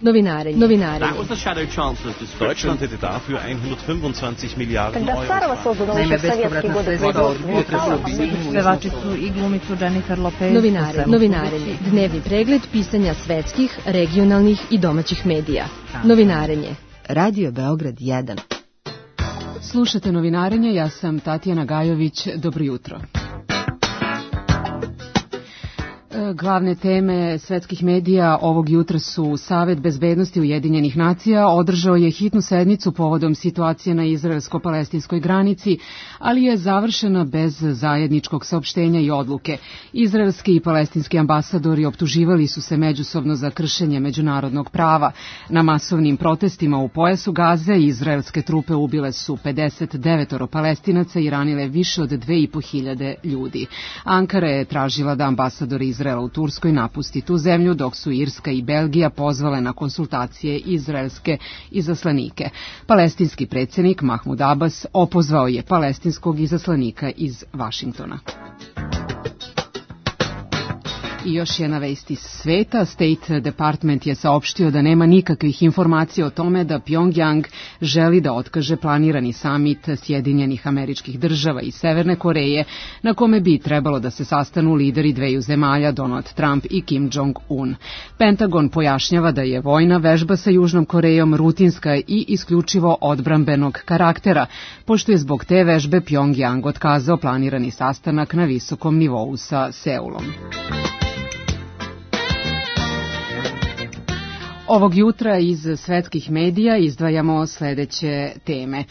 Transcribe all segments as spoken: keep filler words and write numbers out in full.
Novinarenje. Novinarenje. Deutschland hätte dafür hundertfünfundzwanzig Miliarden Euro. Naime, bespovratna sredstva od jutra su obisnuju pevačicu i glumicu Jennifer Lopez. Novinare, novinarenje. Dnevni pregled pisanja svetskih, regionalnih i domaćih medija. Novinarenje. Radio Beograd jedan. Slušate Novinarenje, ja sam Tatjana Gajović, dobro jutro. Glavne teme svetskih medija ovog jutra su Savet bezbednosti Ujedinjenih nacija održao je hitnu sednicu povodom situacije na izraelsko-palestinskoj granici, ali je završena bez zajedničkog saopštenja i odluke. Izraelski i palestinski ambasadori optuživali su se međusobno za kršenje međunarodnog prava. Na masovnim protestima u pojasu Gaze izraelske trupe ubile su pedeset devet Palestinaca i ranile više od dve i po hiljade ljudi. Ankara je tražila da ambasadori Izraela u Turskoj napusti tu zemlju, dok su Irska i Belgija pozvale na konsultacije izraelske izaslanike. Palestinski predsjednik Mahmud Abbas opozvao je palestinskog izaslanika iz Vašingtona. I još jedna vest iz sveta. State Department je saopštio da nema nikakvih informacija o tome da Pyongyang želi da otkaže planirani samit Sjedinjenih Američkih Država i Severne Koreje, na kome bi trebalo da se sastanu lideri dveju zemalja, Donald Trump i Kim Jong-un. Pentagon pojašnjava da je vojna vežba sa Južnom Korejom rutinska i isključivo odbrambenog karaktera, pošto je zbog te vežbe Pyongyang otkazao planirani sastanak na visokom nivou sa Seulom. Ovog jutra iz svetskih medija izdvajamo sledeće teme.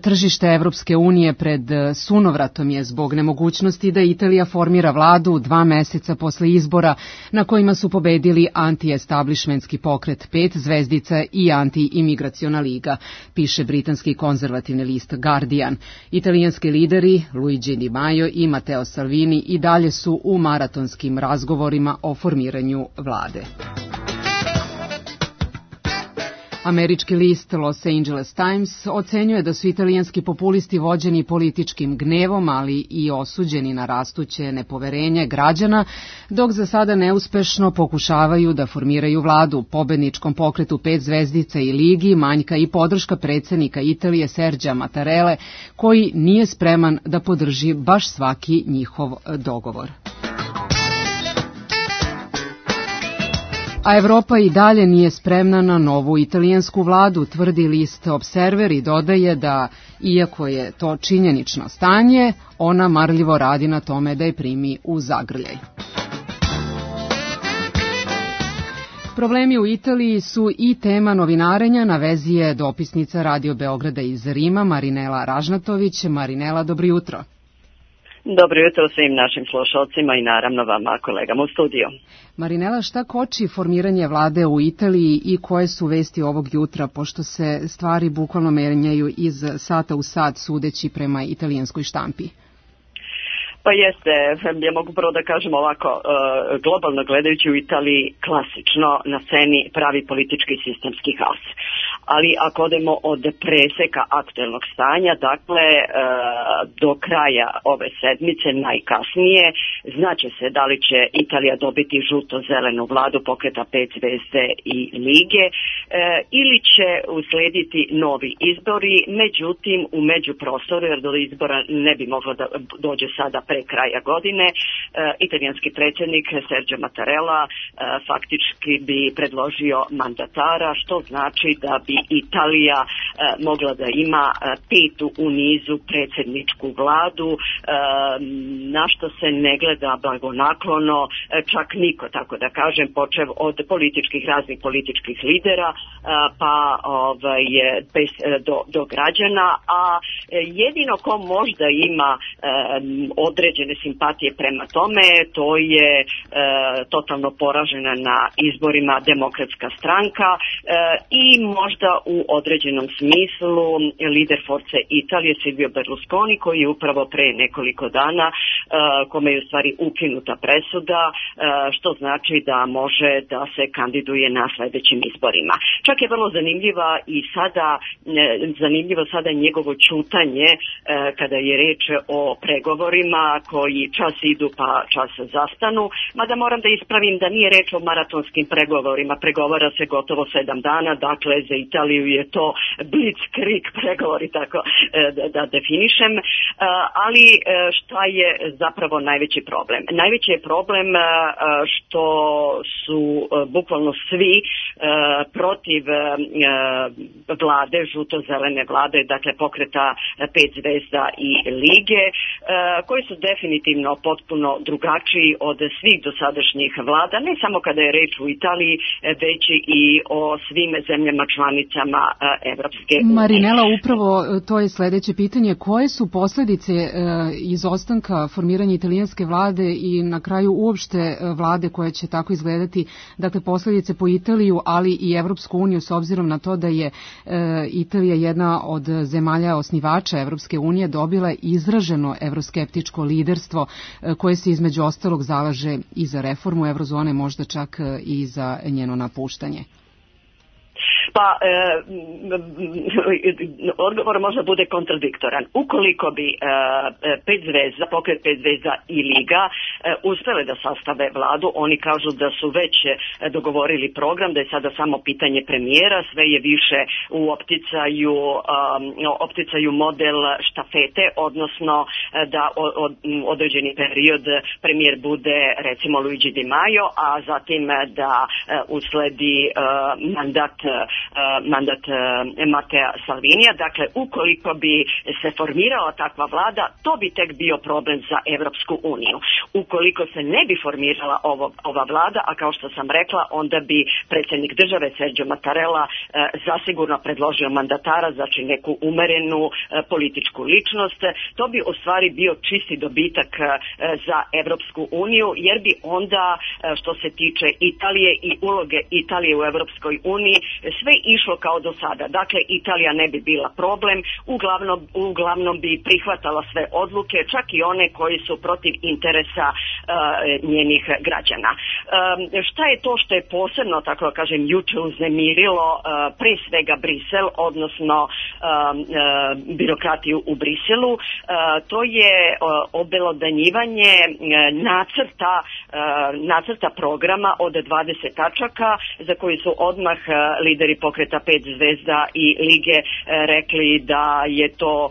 Tržište Evropske unije pred sunovratom je zbog nemogućnosti da Italija formira vladu dva meseca posle izbora na kojima su pobedili anti-establishmentski pokret Pet zvezdica i anti-imigraciona liga, piše britanski konzervativni list Guardian. Italijanski lideri Luigi Di Maio i Matteo Salvini i dalje su u maratonskim razgovorima o formiranju vlade. Američki list Los Angeles Times ocenjuje da su italijanski populisti vođeni političkim gnevom, ali i osuđeni na rastuće nepoverenje građana, dok za sada neuspešno pokušavaju da formiraju vladu. Pobedničkom pokretu Pet zvezdica i ligi manjka i podrška predsjednika Italije Serđa Mattarelle, koji nije spreman da podrži baš svaki njihov dogovor. A Evropa i dalje nije spremna na novu italijansku vladu, tvrdi list Observer i dodaje da, iako je to činjenično stanje, ona marljivo radi na tome da je primi u zagrljaj. Problemi u Italiji su i tema novinarenja, na vezi je dopisnica Radio Beograda iz Rima, Marinela Ražnatović. Marinela, dobro jutro. Dobro jutro svim našim slušalcima i naravno vama, kolegama u studiju. Marinela, šta koči formiranje vlade u Italiji i koje su vesti ovog jutra, pošto se stvari bukvalno menjaju iz sata u sat sudeći prema italijanskoj štampi? Pa jeste, ja mogu prvo da kažem ovako, globalno gledajući u Italiji klasično na sceni pravi politički sistemski haos. Ali ako odemo od preseka aktuelnog stanja, dakle do kraja ove sedmice najkasnije, znaće se da li će Italija dobiti žuto-zelenu vladu pokreta Pet zvezde i lige ili će uslediti novi izbori, međutim u međuprostoru, jer do izbora ne bi moglo da dođe sada pre kraja godine, e, italijanski predsjednik Sergio Mattarella e, faktički bi predložio mandatara, što znači da bi Italija e, mogla da ima e, petu u nizu predsjedničku vladu, e, na što se ne gleda blagonaklono e, čak niko, tako da kažem, počev od političkih, raznih političkih lidera e, pa ovaj, bez, do, do građana, a e, jedino ko možda ima e, određene simpatije prema tome, to je e, totalno poražena na izborima Demokratska stranka e, i možda u određenom smislu lider Forze Italije Silvio Berlusconi, koji je upravo pre nekoliko dana kome je u stvari ukinuta presuda, što znači da može da se kandiduje na sledećim izborima. Čak je vrlo zanimljiva i sada, zanimljivo sada njegovo ćutanje kada je reč o pregovorima koji čas idu pa čas zastanu, mada moram da ispravim da nije reč o maratonskim pregovorima, pregovara se gotovo sedam dana, dakle za Italiju je to blitzkrieg pregovori, tako da, da definišem, ali šta je zapravo najveći problem? Najveći je problem što su bukvalno svi protiv vlade, žuto-zelene vlade, dakle pokreta pet zvezda i lige, koji su definitivno potpuno drugačiji od svih dosadašnjih vlada, ne samo kada je reč u Italiji, već i o svim zemljama članicama Evropske unije. Marinela, upravo to je sledeće pitanje. Koje su posledice izostanka formiranja italijanske vlade i na kraju uopšte vlade koja će tako izgledati, dakle posledice po Italiju, ali i Evropsku uniju, s obzirom na to da je Italija jedna od zemalja osnivača Evropske unije dobila izraženo evroskeptičko liderstvo koje se između ostalog zalaže i za reformu eurozone, možda čak i za njeno napuštanje? Pa, e, odgovor možda bude kontradiktoran. Ukoliko bi e, pet zvezda, pokret pet zvezda i Liga e, uspele da sastave vladu, oni kažu da su već dogovorili program, da je sada samo pitanje premijera, sve je više u opticaju, um, opticaju model štafete, odnosno da od, određeni period premijer bude recimo Luigi Di Maio, a zatim da uh, usledi uh, mandat mandat Matea Salvinija. Dakle, ukoliko bi se formirala takva vlada, to bi tek bio problem za Evropsku uniju. Ukoliko se ne bi formirala ovo, ova vlada, a kao što sam rekla, onda bi predsjednik države Sergio Mattarella zasigurno predložio mandatara, znači neku umerenu političku ličnost. To bi u stvari bio čisti dobitak za Evropsku uniju, jer bi onda, što se tiče Italije i uloge Italije u Evropskoj uniji, sve išlo kao do sada. Dakle, Italija ne bi bila problem, uglavnom, uglavnom bi prihvatala sve odluke, čak i one koji su protiv interesa uh, njenih građana. Um, šta je to što je posebno, tako da kažem, juče uznemirilo uh, pre svega Brisel, odnosno um, uh, birokratiju u Briselu? Uh, to je uh, obelodanjivanje uh, nacrta, uh, nacrta programa od dvadeset tačaka za koji su odmah uh, lideri pokreta pet zvezda i Lige e, rekli da je to e,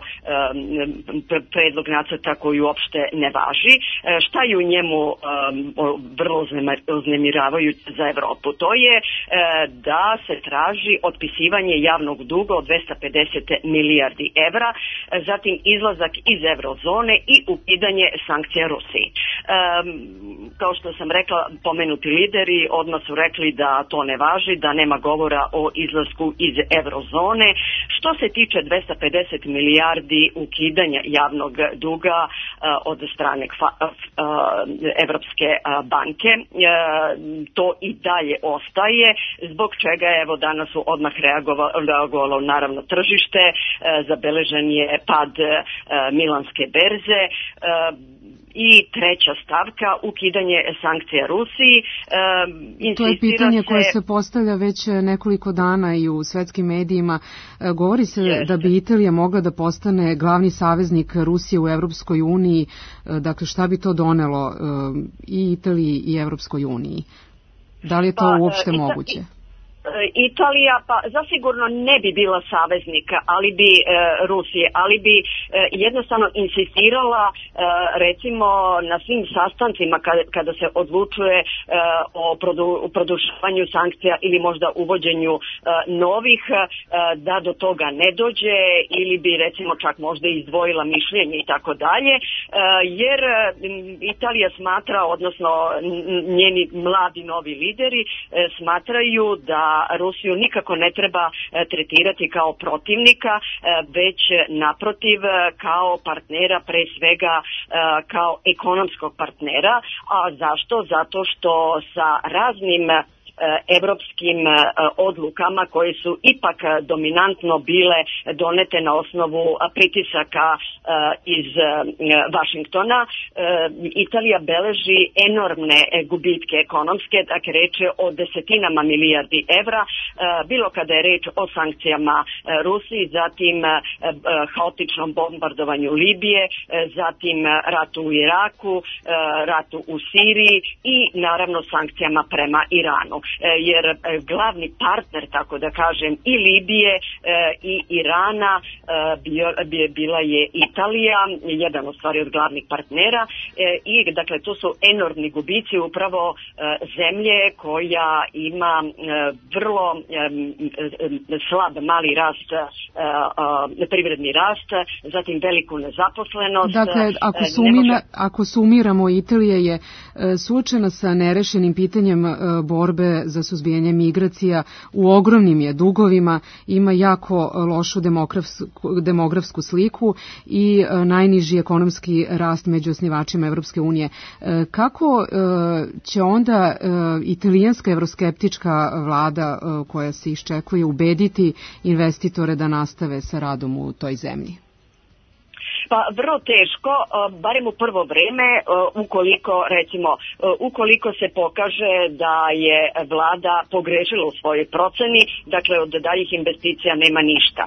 predlog nacrta koji uopšte ne važi. E, šta je u njemu e, vrlo uznemiravajuće za Evropu? To je e, da se traži otpisivanje javnog duga od dvesta pedeset milijardi evra, e, zatim izlazak iz eurozone i ukidanje sankcija Rusiji. E, kao što sam rekla, pomenuti lideri odmah su rekli da to ne važi, da nema govora o izlasku iz eurozone. Što se tiče dvesta pedeset milijardi ukidanja javnog duga uh, od strane uh, Evropske uh, banke, uh, to i dalje ostaje, zbog čega je evo danas su odmah reagovalo, reagovalo naravno tržište, uh, zabeležen je pad uh, milanske berze. Uh, I treća stavka, ukidanje sankcija Rusiji. E, to je pitanje se... koje se postavlja već nekoliko dana i u svetskim medijima. E, govori se Jeste. da bi Italija mogla da postane glavni saveznik Rusije u Evropskoj uniji. E, dakle, šta bi to donelo e, i Italiji i Evropskoj uniji? Da li je to pa, uopšte e, moguće? Italija pa zasigurno ne bi bila saveznika, ali bi e, Rusije, ali bi e, jednostavno insistirala e, recimo na svim sastancima kada, kada se odlučuje e, o produ, produšavanju sankcija ili možda uvođenju e, novih, e, da do toga ne dođe, ili bi recimo čak možda izdvojila mišljenje i tako dalje, jer Italija smatra, odnosno njeni mladi novi lideri e, smatraju da Rusiju nikako ne treba tretirati kao protivnika, već naprotiv kao partnera, pre svega kao ekonomskog partnera. A zašto? Zato što sa raznim evropskim odlukama koje su ipak dominantno bile donete na osnovu pritisaka iz Vašingtona. Italija beleži enormne gubitke ekonomske, dakle reč je o desetinama milijardi evra, bilo kada je reč o sankcijama Rusiji, zatim haotičnom bombardovanju Libije, zatim ratu u Iraku, ratu u Siriji i naravno sankcijama prema Iranu. Jer glavni partner, tako da kažem, i Libije i Irana bila je Italija, jedan od stvari od glavnih partnera, i dakle to su enormni gubici upravo zemlje koja ima vrlo slab mali rast, privredni rast, zatim veliku nezaposlenost. Dakle, ako, sumina, ako sumiramo, Italija je suočena sa nerešenim pitanjem borbe za suzbijanje migracija, u ogromnim je dugovima, ima jako lošu demografsku, demografsku sliku i najniži ekonomski rast među osnivačima Evropske unije. Kako će onda italijanska evroskeptička vlada koja se iščekuje ubediti investitore da nastave sa radom u toj zemlji? Pa vrlo teško, barem u prvo vreme, ukoliko recimo, ukoliko se pokaže da je vlada pogrešila u svojoj proceni, dakle od daljih investicija nema ništa.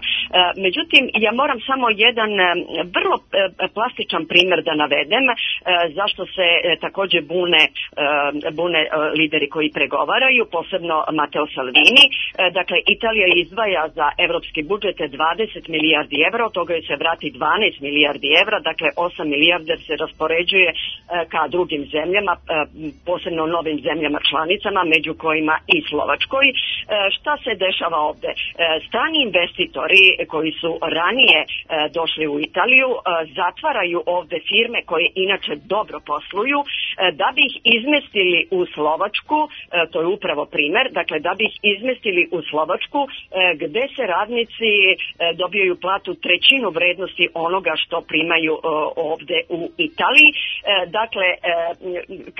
Međutim, ja moram samo jedan vrlo plastičan primjer da navedem, zašto se također bune, bune lideri koji pregovaraju, posebno Matteo Salvini. Dakle, Italija izdvaja za evropski budžet dvadeset milijardi evra, od toga se vrati dvanaest milijardi evra, dakle osam milijardi se raspoređuje ka drugim zemljama, posebno novim zemljama članicama, među kojima i Slovačkoj. Šta se dešava ovde? Strani investitori koji su ranije došli u Italiju zatvaraju ovde firme koje inače dobro posluju, da bi ih izmestili u Slovačku, to je upravo primer, dakle da bi ih izmestili u Slovačku, gde se radnici dobijaju platu trećinu vrednosti onoga što primaju ovde u Italiji. Dakle,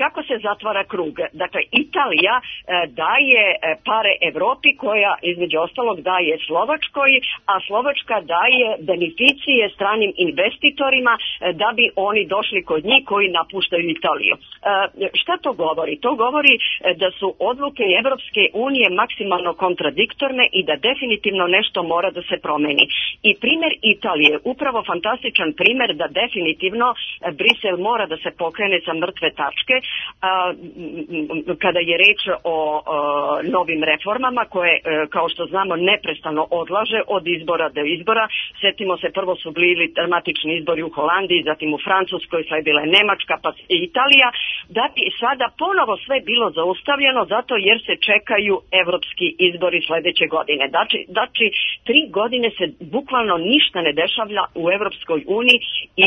kako se zatvara krug? Dakle, Italija daje pare Evropi, koja između ostalog daje Slovačkoj, a Slovačka daje beneficije stranim investitorima da bi oni došli kod njih koji napuštaju Italiju. Šta to govori? To govori da su odluke Evropske unije maksimalno kontradiktorne i da definitivno nešto mora da se promeni. I primer Italije, upravo fantastičan primer da definitivno Brisel mora da se pokrene sa mrtve tačke kada je reč o novim reformama koje, kao što znamo, neprestano odlaže od izbora do izbora. Sjetimo se, prvo su bili dramatični izbori u Holandiji, zatim u Francuskoj, sad je bila Nemačka, pa Italija, da bi sada ponovo sve bilo zaustavljeno zato jer se čekaju evropski izbori sledeće godine. Znači, znači tri godine se bukvalno ništa ne dešavlja u Evropskoj uniji,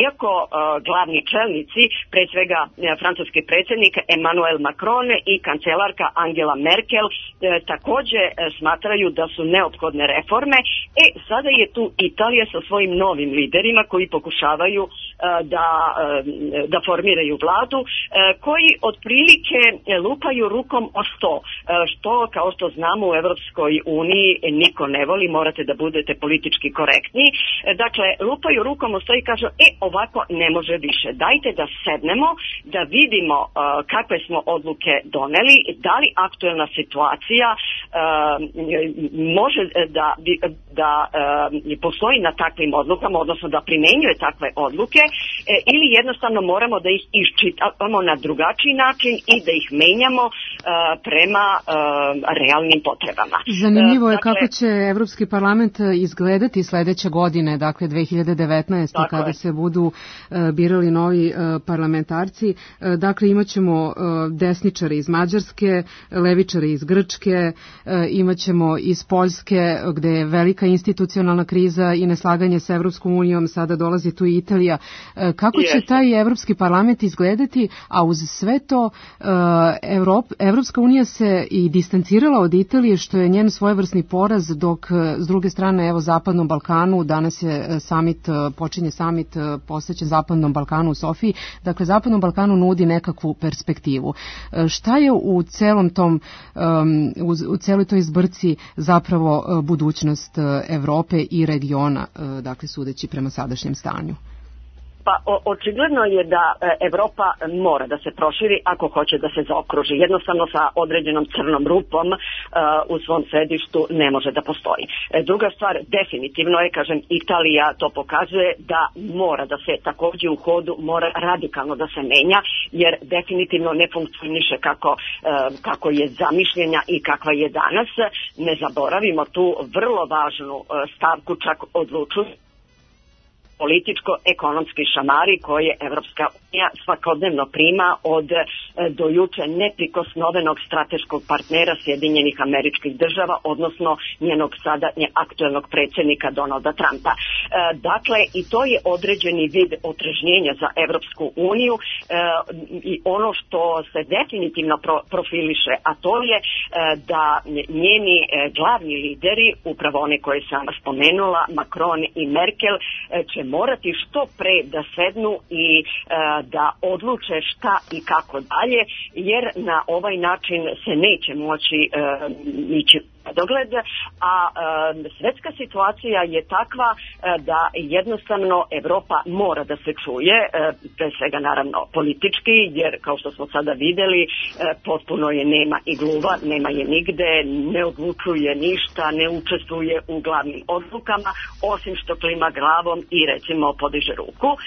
iako uh, glavni čelnici, pre svega uh, francuski predsjednik Emmanuel Macron i kancelarka Angela Merkel uh, također uh, smatraju da su neophodne reforme. E, sada je tu Italija sa svojim novim liderima koji pokušavaju uh, da, uh, da formiraju vladu, uh, koji otprilike lupaju rukom o sto, uh, što kao što znamo u Evropskoj uniji niko ne voli, morate da budete politički korektni. Uh, dakle, lupaju rukom o sto i kažu, e, ovako ne može više. Dajte da sednemo, da vidimo uh, kakve smo odluke doneli, da li aktuelna situacija uh, može da, da uh, postoji na takvim odlukama, odnosno da primenjuje takve odluke, uh, ili jednostavno moramo da ih iščitamo na drugačiji način i da ih menjamo uh, prema uh, realnim potrebama. Zanimljivo je uh, dakle, kako će Evropski parlament izgledati sledeće godine, dakle dve hiljade devetnaeste. kada je. se budu uh, birali novi uh, parlamentarci. Uh, dakle, imaćemo uh, desničare iz Mađarske, levičare iz Grčke, uh, imaćemo iz Poljske, gde je velika institucionalna kriza i neslaganje sa Evropskom unijom, sada dolazi tu i Italija. Kako će taj Evropski parlament izgledati, a uz sve to Evrop, Evropska unija se i distancirala od Italije, što je njen svojevrsni poraz, dok s druge strane, evo, Zapadnom Balkanu, danas je summit, počinje summit posvećen Zapadnom Balkanu u Sofiji, dakle, Zapadnom Balkanu nudi nekakvu perspektivu. Šta je u celom tom, u celoj toj zbrci zapravo budućnost Evrope i regiona, dakle, sudeći prema sadašnjem stanju? Pa o, očigledno je da e, Evropa mora da se proširi ako hoće da se zaokruži. Jednostavno sa određenom crnom rupom e, u svom sedištu ne može da postoji. E, druga stvar, definitivno je, kažem, Italija to pokazuje da mora da se takođe u hodu mora radikalno da se menja, jer definitivno ne funkcioniše kako, e, kako je zamišljenja i kakva je danas. Ne zaboravimo tu vrlo važnu e, stavku, čak odlučuju političko-ekonomski šamari koje Evropska unija svakodnevno prima od dojuče neprikosnovenog strateškog partnera Sjedinjenih Američkih Država, odnosno njenog sada aktuelnog predsjednika Donalda Trumpa. E, dakle, i to je određeni vid otrežnjenja za Evropsku uniju e, i ono što se definitivno pro, profiliše, a to je e, da njeni e, glavni lideri, upravo one koje sam spomenula, Macron i Merkel, e, će morati što pre da sednu i e, da odluče šta i kako dalje, jer na ovaj način se neće moći e, ići dogled, a e, svetska situacija je takva e, da jednostavno Evropa mora da se čuje, e, pre svega naravno politički, jer kao što smo sada videli, e, potpuno je nema i gluva, nema je nigde, ne odlučuje ništa, ne učestvuje u glavnim odlukama, osim što klima glavom i recimo podiže ruku. E,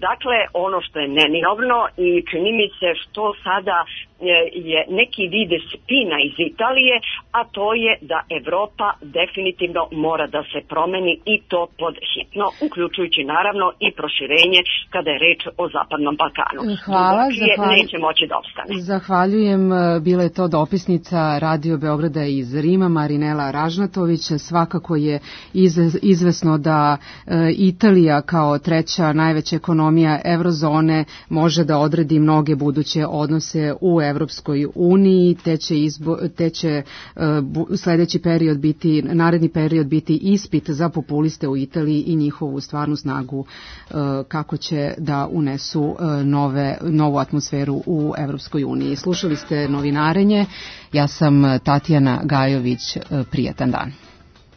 dakle, ono što je neminovno i čini mi se što sada je neki vide spina iz Italije, a to je da Evropa definitivno mora da se promeni i to pod hitno, uključujući naravno i proširenje kada je reč o Zapadnom Balkanu. Hvala, zahvaljujem. Neće moći da opstane. Zahvaljujem. Bila je to dopisnica Radio Beograda iz Rima, Marinela Ražnatović. Svakako je izvesno da Italija kao treća najveća ekonomija eurozone može da odredi mnoge buduće odnose u Evropskoj uniji, te će, izbo, te će uh, sledeći period biti, naredni period biti ispit za populiste u Italiji i njihovu stvarnu snagu uh, kako će da unesu uh, nove, novu atmosferu u Evropskoj uniji. Slušali ste Novinarenje, ja sam Tatjana Gajović, uh, prijatan dan.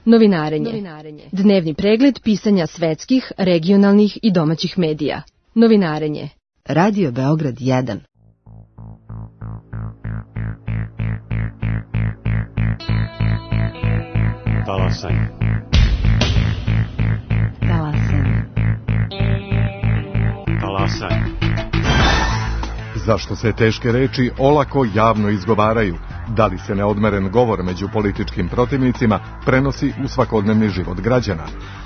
Novinarenje. Novinarenje. Dnevni pregled pisanja svetskih, regionalnih i domaćih medija. Novinarenje. Radio Beograd jedan. Talasaj. Talasaj. Talasaj. Zašto se teške reči olako javno izgovaraju? Da li se neodmeren govor među političkim protivnicima prenosi u svakodnevni život građana?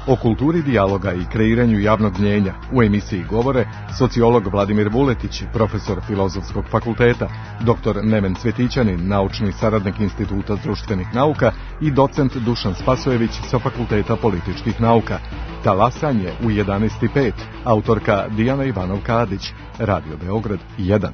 O kulturi dijaloga i kreiranju javnog mnjenja u emisiji govore sociolog Vladimir Vuletić, profesor Filozofskog fakulteta, doktor Neven Cvetićanin, naučni saradnik Instituta društvenih nauka i docent Dušan Spasojević sa Fakulteta političkih nauka. Talasanje u jedanaest i pet, autorka Dijana Ivanov-Kadić, Radio Beograd jedan.